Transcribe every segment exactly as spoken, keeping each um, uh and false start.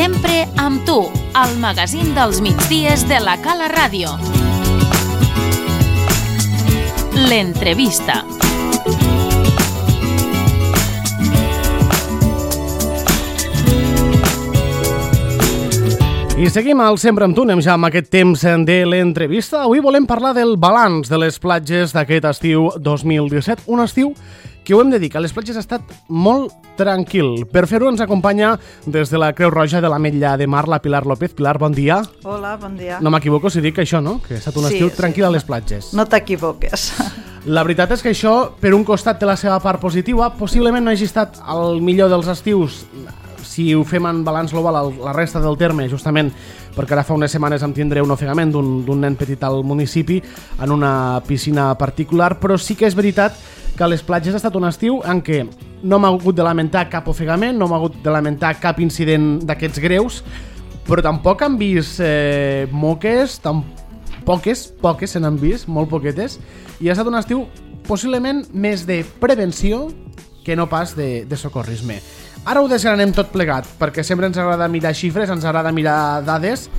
Sempre amb tu, al magazín dels migdies de la Cala Ràdio. L'entrevista. I seguim al Sempre amb tu, anem ja amb aquest temps de l'entrevista. Avui volem parlar del balanç de les platges d'aquest estiu dos mil disset, un estiu que ho hem de dir, que a les platges ha estat molt tranquil. Per fer-ho ens acompanya des de la Creu Roja de l'Ametlla de Mar la Pilar López. Pilar, bon dia. Hola, bon dia. No m'equivoco si dic això, no? Que ha estat un estiu sí, tranquil sí. a les platges. No t'equivoques. La veritat és que això, per un costat, té la seva part positiva. Possiblement no hagi estat el millor dels estius si ho fem en balanç global a la resta del terme, justament perquè ara fa unes setmanes em tindré un ofegament d'un nen petit al municipi en una piscina particular, però sí que és veritat que a les platges ha estat un estiu en què no m'ha hagut de lamentar cap ofegament, no m'ha hagut de lamentar cap incident d'aquests greus, però tampoc han vist eh, moques, tam poques, poques se n'han vist, molt poquetes, i ha estat un estiu possiblement més de prevenció que no pas de, de socorrisme. Ara ho desgranem tot plegat, perquè sempre ens agrada mirar xifres, ens agrada mirar dades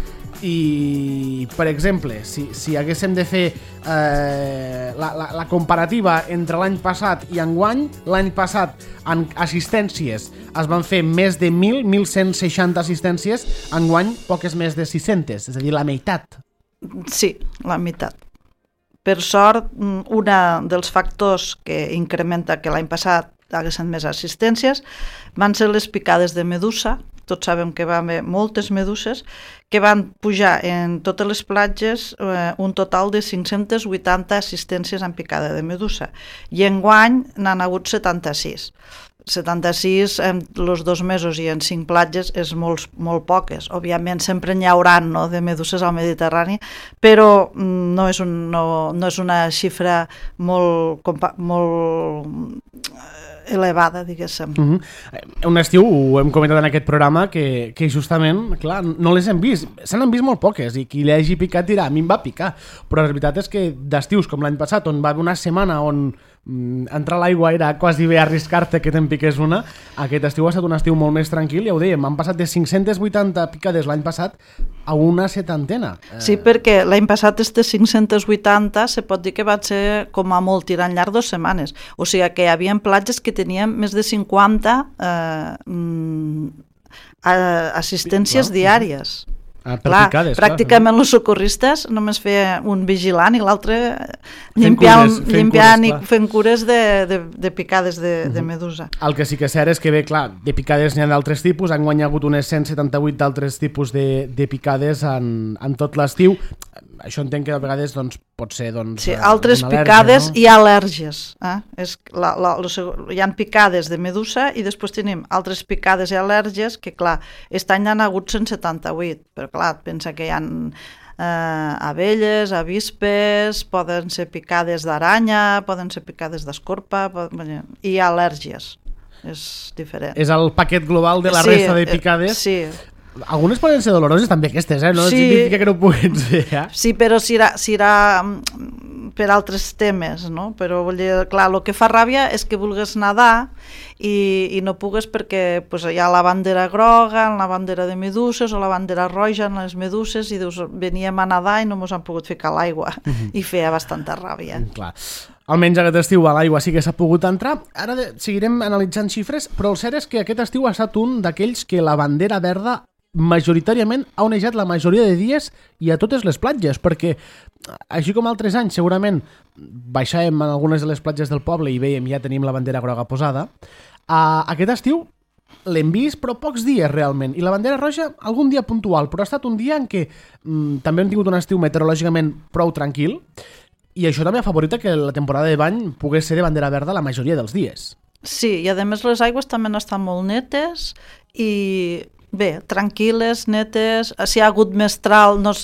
i, per exemple, si, si haguéssim de fer eh, la, la, la comparativa entre l'any passat i enguany, l'any passat en assistències es van fer més de mil, mil cent seixanta assistències, enguany poques més de sis-centes, és a dir, la meitat. Sí, la meitat. Per sort, un dels factors que incrementa que l'any passat haguessin més assistències van ser les picades de medusa. Tots sabem que va haver moltes meduses que van pujar en totes les platges eh, un total de cinc-centes vuitanta assistències en picada de medusa i enguany n'han hagut setanta-sis. setanta-sis en els dos mesos i en cinc platges és molt, molt poques. Òbviament sempre n'hi haurà, no, de meduses al Mediterrani, però no és, un, no, no és una xifra molt, molt elevada, diguéssim. Uh-huh. Un estiu, ho hem comentat en aquest programa, que, que justament, clar, no les hem vist. Se n'han vist molt poques i qui li hagi picat dirà, a mi em va picar. Però la veritat és que d'estius com l'any passat, on va haver una setmana on entrar a l'aigua era quasi bé arriscar-te que te'n piqués una, aquest estiu ha estat un estiu molt més tranquil, ja ho dèiem, han passat de cinc-centes vuitanta picades l'any passat a una setantena. Sí, perquè l'any passat aquestes cinc-centes vuitanta se pot dir que va ser com a molt tirant llarg dues setmanes, o sigui que hi havia platges que tenien més de cinquanta eh, assistències diàries. Ah, per clar, picades, pràcticament clar. Els socorristes només feia un vigilant i l'altre limpiant, cures, limpiant cures, i fent cures de, de, de picades de, uh-huh. de medusa. El que sí que és cert és que bé, clar, de picades n'hi ha d'altres tipus, han guanyat unes cent setanta-vuit d'altres tipus de, de picades en, en tot l'estiu. Això entenc que a vegades doncs, pot ser doncs, sí, altres al·lèrgia, picades no? I al·lèrgies. Eh? És la, la, la, hi ha picades de medusa i després tenim altres picades i al·lèrgies que, clar, aquest any n'han hagut cent setanta-vuit, però clar, pensa que hi ha eh, abelles, avispes, poden ser picades d'aranya, poden ser picades d'escorpa, poden... i al·lèrgies. És diferent. És el paquet global de la sí, resta de picades? Sí. Algunes poden ser doloroses també aquestes, eh? No sí, significa que no puguin ser, eh? Sí, però si era, si era per altres temes, no? Però vull dir, clar, el que fa ràbia és que vulgues nedar i, i no pugues perquè pues, hi ha la bandera groga, la bandera de meduses o la bandera roja en les meduses i dius, veníem a nedar i no ens han pogut ficar a l'aigua uh-huh. i feia bastanta ràbia. Clar. Almenys aquest estiu a l'aigua sí que s'ha pogut entrar. Ara de, seguirem analitzant xifres, però el cert és que aquest estiu ha estat un d'aquells que la bandera verda majoritàriament ha onejat la majoria de dies i a totes les platges, perquè així com altres anys segurament baixàvem en algunes de les platges del poble i veiem ja tenim la bandera groga posada, uh, aquest estiu l'hem vist però pocs dies realment, i la bandera roja algun dia puntual, però ha estat un dia en què um, també hem tingut un estiu meteorològicament prou tranquil i això també ha favorit que la temporada de bany pogués ser de bandera verda la majoria dels dies. Sí, i a més les aigües també han estat molt netes i bé, tranquil·les, netes, si hi ha hagut mestral, no,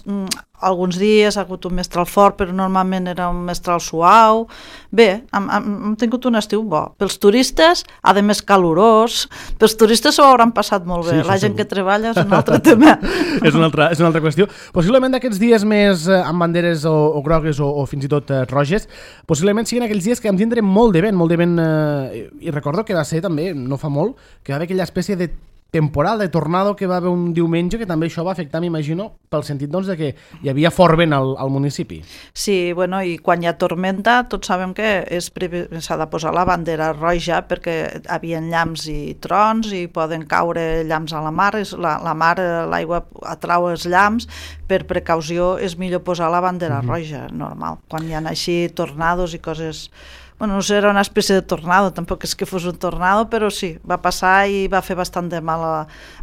alguns dies ha hagut un mestral fort, però normalment era un mestral suau. Bé, hem, hem, hem tingut un estiu bo. Pels turistes, a més calorós, pels turistes s'ho hauran passat molt bé. Sí, la gent segur. Que treballa és un altre tema. és, una altra, és una altra qüestió. Possiblement d'aquests dies més eh, amb banderes o, o grogues o, o fins i tot eh, roges, possiblement siguin aquells dies que vam tindre molt de vent, molt de vent, eh, i recordo que va ser també, no fa molt, que va haver aquella espècie de temporal de tornado que va haver un diumenge, que també això va afectar, m'imagino, pel sentit doncs, de que hi havia fort vent al, al municipi. Sí, bueno, i quan hi ha tormenta tots sabem que s'ha de posar la bandera roja perquè hi havia llamps i trons i poden caure llamps a la mar, la, la mar, l'aigua atrau els llamps, per precaució és millor posar la bandera uh-huh. roja, normal, quan hi ha així tornados i coses... Bueno, no sé, era una espècie de tornado, tampoc és que fos un tornado, però sí, va passar i va fer bastant de mal a,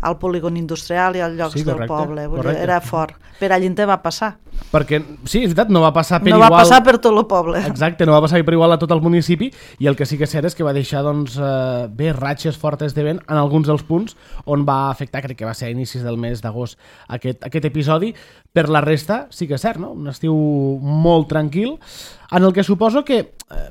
al polígon industrial i als llocs sí, correcte, del poble. Vull dir, era fort. Per allí en te va passar. Perquè, sí, és veritat, no va passar per no igual... No va passar per tot el poble. Exacte, no va passar per igual a tot el municipi, i el que sí que és cert és que va deixar, doncs, eh, bé, ratxes fortes de vent en alguns dels punts on va afectar, crec que va ser a inicis del mes d'agost, aquest, aquest episodi. Per la resta, sí que és cert, no? Un estiu molt tranquil, en el que suposo que... Eh,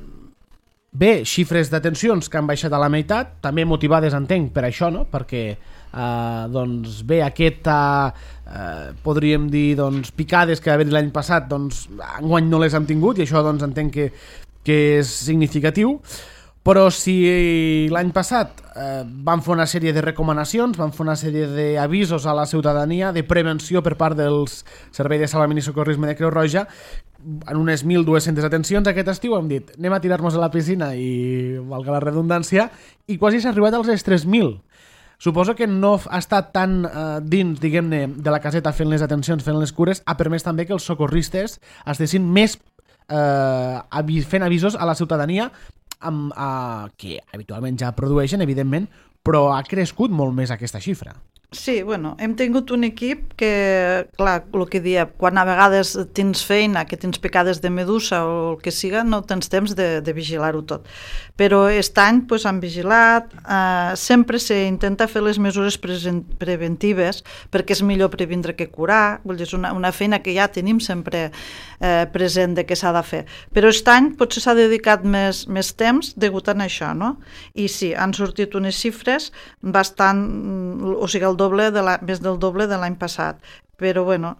Bé, xifres d'atencions que han baixat a la meitat, també motivades, entenc, per això, no? Perquè, eh, doncs, bé, aquesta, eh, podríem dir, doncs, picades que va haver l'any passat, doncs, enguany no les hem tingut, i això, doncs, entenc que, que és significatiu. Però si l'any passat eh, van fer una sèrie de recomanacions, van fer una sèrie d'avisos a la ciutadania, de prevenció per part dels serveis de salvament i socorrisme de Creu Roja, en unes mil dues-centes atencions aquest estiu hem dit anem a tirar-nos a la piscina i valga la redundància, i quasi s'ha arribat als tres mil. Suposo que no ha estat tan eh, dins, diguem-ne, de la caseta fent les atencions, fent les cures, ha permès també que els socorristes estiguessin més eh, avi- fent avisos a la ciutadania amb, eh, que habitualment ja produeixen, evidentment, però ha crescut molt més aquesta xifra. Sí, bueno, hem tingut un equip que, clar, el que dia, quan a vegades tens feina, que tens picades de medusa o el que siga, no tens temps de, de vigilar-ho tot. Però aquest any pues, han vigilat, eh, sempre s'intenta fer les mesures present, preventives perquè és millor previndre que curar, vull dir, és una, una feina que ja tenim sempre eh, present de què s'ha de fer. Però aquest any potser s'ha dedicat més, més temps degut a això, no? I sí, han sortit unes xifres bastant, o sigui, el doble de la, més del doble de l'any passat, però bueno,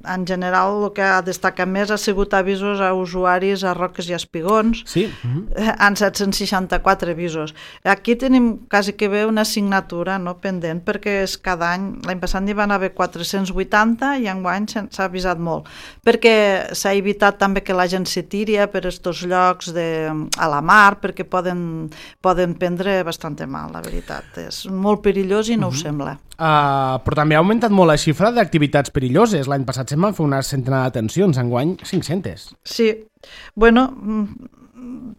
en general el que ha destacat més ha sigut avisos a usuaris a Roques i a Espigons, sí. uh-huh. en set-cents seixanta-quatre avisos. Aquí tenim quasi que bé una assignatura no, pendent, perquè és cada any, l'any passat n'hi van haver quatre-cents vuitanta i enguany s'ha avisat molt, perquè s'ha evitat també que la gent se tiri per estos llocs de, a la mar, perquè poden, poden prendre bastant mal, la veritat. És molt perillós i no uh-huh. ho sembla. Uh, però també ha augmentat molt la xifra d'activitats perilloses. L'any passat se'n van fer una centena d'atencions, enguany cinc-centes. Sí, bueno,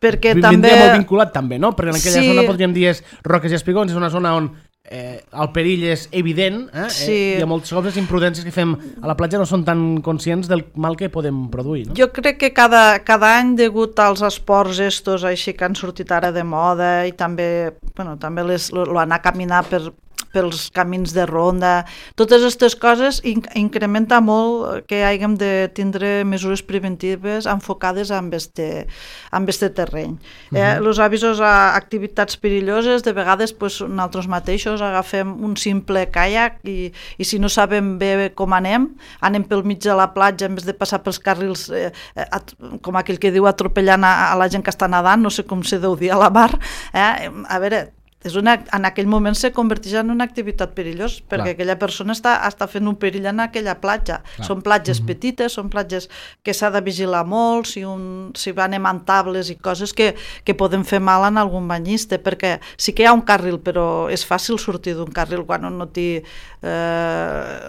perquè Vindria també... molt vinculat també, no? Perquè en aquella sí. zona podríem dir és Roques i Espigons, és una zona on eh, el perill és evident, eh? Sí. eh? I a moltes coses imprudències que fem a la platja no són tan conscients del mal que podem produir, no? Jo crec que cada, cada any, degut als esports estos així que han sortit ara de moda i també, bueno, també les, lo, lo anar a caminar per pels camins de ronda, totes aquestes coses inc incrementa molt que haguem de tindre mesures preventives enfocades amb este, amb este terreny. Els uh-huh. eh, avisos a activitats perilloses, de vegades pues, nosaltres mateixos agafem un simple caiac i, i si no sabem bé com anem, anem pel mig de la platja en vez de passar pels carrils, eh, eh, com aquell que diu atropellant a, a la gent que està nedant, no sé com se deu dir a la mar, eh? A veure, és una, en aquell moment se converteix en una activitat perillosa, perquè Clar. aquella persona està, està fent un perill en aquella platja. Clar. Són platges mm-hmm. petites, són platges que s'ha de vigilar molt, si, un, si anem amb tables i coses que, que poden fer mal en algun banyista, perquè sí que hi ha un carril, però és fàcil sortir d'un carril quan no té eh,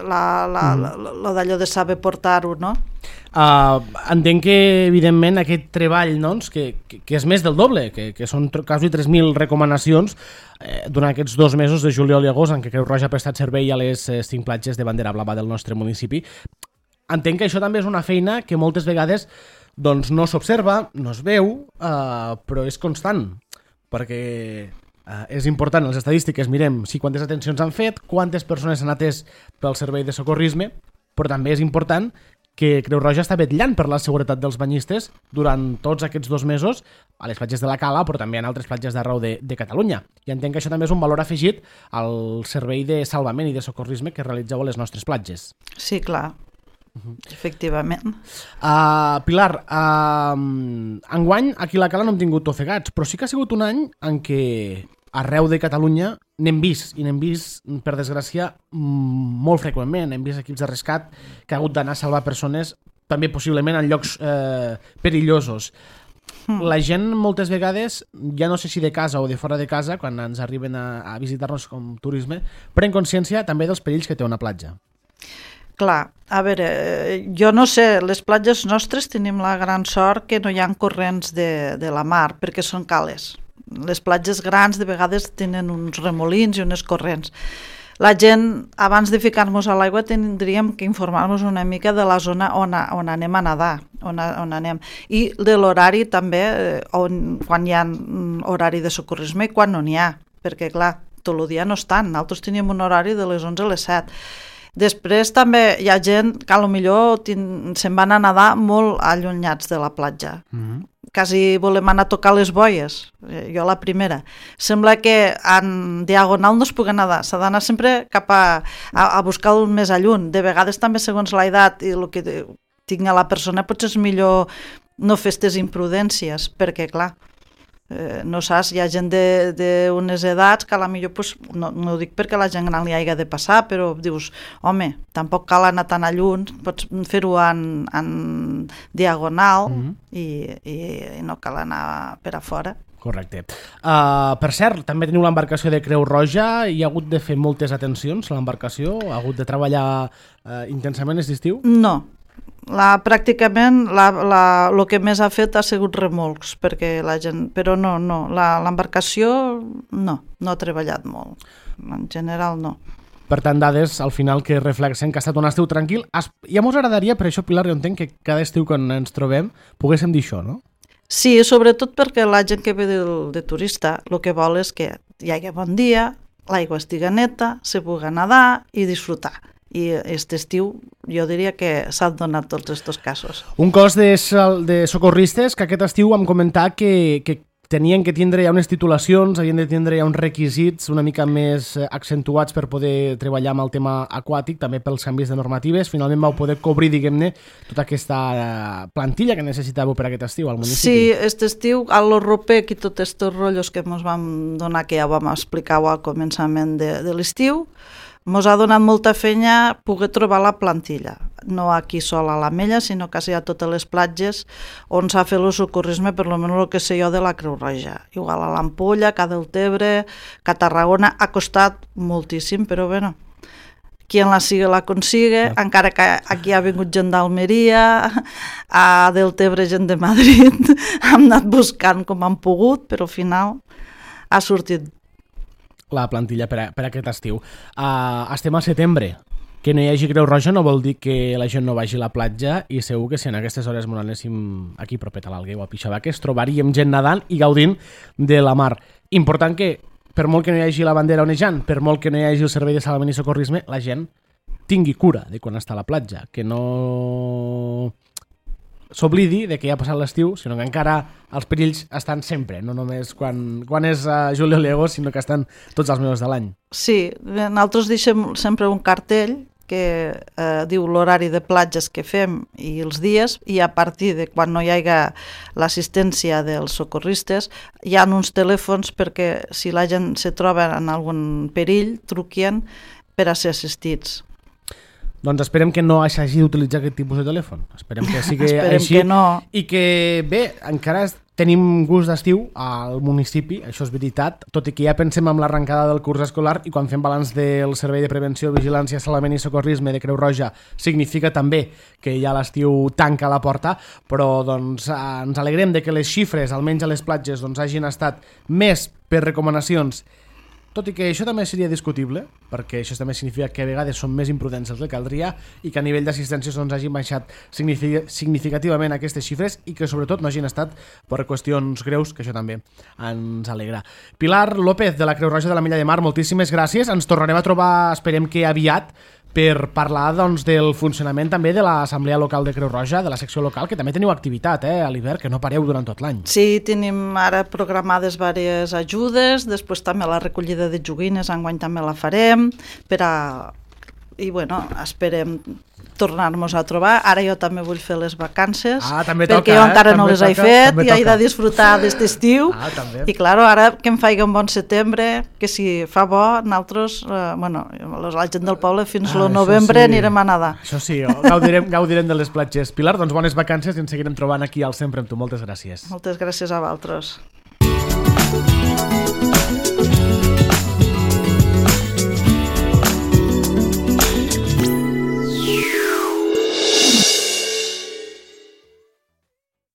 la, la, mm. la, la d'allò de saber portar-ho, no? Uh, entenc que, evidentment, aquest treball, doncs, que, que, que és més del doble, que, que són quasi tres mil recomanacions eh, durant aquests dos mesos de juliol i agost en què Creu Roja ha prestat servei a les eh, cinc platges de bandera blava del nostre municipi. Entenc que això també és una feina que moltes vegades doncs, no s'observa, no es veu, uh, però és constant, perquè uh, és important, les estadístiques, mirem si quantes atencions han fet, quantes persones s'han atès pel servei de socorrisme, però també és important que Creu Roja està vetllant per la seguretat dels banyistes durant tots aquests dos mesos a les platges de la Cala, però també en altres platges d'arreu de, de Catalunya. I entenc que això també és un valor afegit al servei de salvament i de socorrisme que realitzeu a les nostres platges. Sí, clar. Uh-huh. Efectivament. Uh, Pilar, uh, enguany aquí a la Cala no hem tingut ofegats, però sí que ha sigut un any en què arreu de Catalunya n'hem vist, i n'hem vist, per desgràcia, molt freqüentment. Hem vist equips de rescat que ha hagut d'anar a salvar persones, també possiblement en llocs eh, perillosos. Mm. La gent moltes vegades, ja no sé si de casa o de fora de casa, quan ens arriben a, a visitar-nos com turisme, pren consciència també dels perills que té una platja. Clar, a veure, jo no sé, les platges nostres tenim la gran sort que no hi ha corrents de, de la mar, perquè són cales. Les platges grans de vegades tenen uns remolins i unes corrents. La gent, abans de ficar-nos a l'aigua, tindríem que informar-nos una mica de la zona on, a, on anem a nedar, on, a, on anem. I de l'horari també, on, quan hi ha horari de socorrisme i quan no n'hi ha, perquè clar, tot el dia no estan. Nosaltres teníem un horari de les onze a les set. Després també hi ha gent que potser se'n van a nedar molt allunyats de la platja. Mm-hmm. Quasi volem anar a tocar les boies, jo la primera. Sembla que en diagonal no es pugui nedar, s'ha d'anar sempre cap a, a, a buscar el més alluny. De vegades també segons l'edat i el que tingui la persona potser és millor no fer aquestes imprudències, perquè clar, eh, no saps, hi ha gent d'unes edats que a la millor, pues, no, no ho dic perquè la gent gran li hagi de passar, però dius, home, tampoc cal anar tan a lluny, pots fer-ho en, en diagonal mm-hmm. i, i, i no cal anar per a fora. Correcte. Uh, per cert, també teniu l'embarcació de Creu Roja, hi ha hagut de fer moltes atencions a l'embarcació? Ha hagut de treballar uh, intensament aquest estiu? No. La, pràcticament el que més ha fet ha sigut remolcs, perquè la gent, però no, no, l'embarcació no, no ha treballat molt, en general no. Per tant, dades al final que reflexen que ha estat un estiu tranquil. Ja mos agradaria, per això, Pilar, jo entenc que cada estiu quan ens trobem poguéssim dir això, no? Sí, sobretot perquè la gent que ve de, de turista el que vol és que hi hagi bon dia, l'aigua estigui neta, se pugui nedar i disfrutar. I aquest estiu jo diria que s'han donat tots aquests casos. Un cos de, de socorristes que aquest estiu vam comentar que, que tenien que tindre ja unes titulacions, havien de tindre ja uns requisits una mica més accentuats per poder treballar amb el tema aquàtic, també pels canvis de normatives. Finalment vau poder cobrir, diguem-ne, tota aquesta plantilla que necessitàveu per aquest estiu al municipi. Sí, aquest estiu, a l'Europec i tots aquests rotllos que ens vam donar, que ja vam explicar al començament de, de l'estiu, ens ha donat molta feina poder trobar la plantilla, no aquí sol a l'Ametlla, sinó quasi a totes les platges on s'ha fet el socorrisme, per almenys el que sé jo de la Creu Roja. Igual a l'Ampolla, a Deltebre, a Tarragona, ha costat moltíssim, però bueno, qui en la siga la consigue, ja. Encara que aquí ha vingut gent d'Almeria, a Deltebre gent de Madrid, hem anat buscant com han pogut, però al final ha sortit la plantilla per, a, per aquest estiu. Uh, estem al setembre. Que no hi hagi Creu Roja no vol dir que la gent no vagi a la platja, i segur que si en aquestes hores ens anéssim aquí propet a l'Alguer o a Pixabaques trobaríem gent nedant i gaudint de la mar. Important que, per molt que no hi hagi la bandera onejant, per molt que no hi hagi el servei de salvament i socorrisme, la gent tingui cura de quan està a la platja, que no s'oblidi de que ja ha passat l'estiu, sinó que encara els perills estan sempre, no només quan, quan és uh, Julio Lego, sinó que estan tots els mesos de l'any. Sí, nosaltres deixem sempre un cartell que eh, diu l'horari de platges que fem i els dies, i a partir de quan no hi hagi l'assistència dels socorristes hi ha uns telèfons perquè si la gent se troba en algun perill truquien per a ser assistits. Doncs esperem que no s'hagi d'utilitzar aquest tipus de telèfon. Esperem que sigui esperem així. Que no. I que, bé, encara tenim gust d'estiu al municipi, això és veritat, tot i que ja pensem en l'arrencada del curs escolar, i quan fem balanç del Servei de Prevenció, Vigilància, Salvament i Socorrisme de Creu Roja significa també que ja l'estiu tanca la porta, però doncs, ens alegrem de que les xifres, almenys a les platges, doncs, hagin estat més per recomanacions, tot i que això també seria discutible, perquè això també significa que a vegades són més imprudents els que caldria i que a nivell d'assistència doncs, hagin baixat significativament aquestes xifres i que sobretot no hagin estat per qüestions greus, que això també ens alegra. Pilar López, de la Creu Roja de l'Ametlla de Mar, moltíssimes gràcies. Ens tornarem a trobar, esperem que aviat, per parlar doncs, del funcionament també de l'Assemblea Local de Creu Roja, de la secció local, que també teniu activitat eh, a l'hivern, que no pareu durant tot l'any. Sí, tenim ara programades diverses ajudes, després també la recollida de joguines, enguany també la farem, per a... i bueno, esperem tornar-nos a trobar. Ara jo també vull fer les vacances, ah, també perquè toca, jo encara eh? no També les he toca, fet també i he toca. de disfrutar d'aquest estiu. Ah, també. I clar, ara que em faig un bon setembre, que si fa bo, nosaltres, eh, bueno, la gent del poble fins Ah, al novembre sí. anirem a nedar. Això sí, gaudirem, gaudirem de les platges. Pilar, doncs bones vacances i ens seguirem trobant aquí al Sempre amb tu. Moltes gràcies. Moltes gràcies a vosaltres.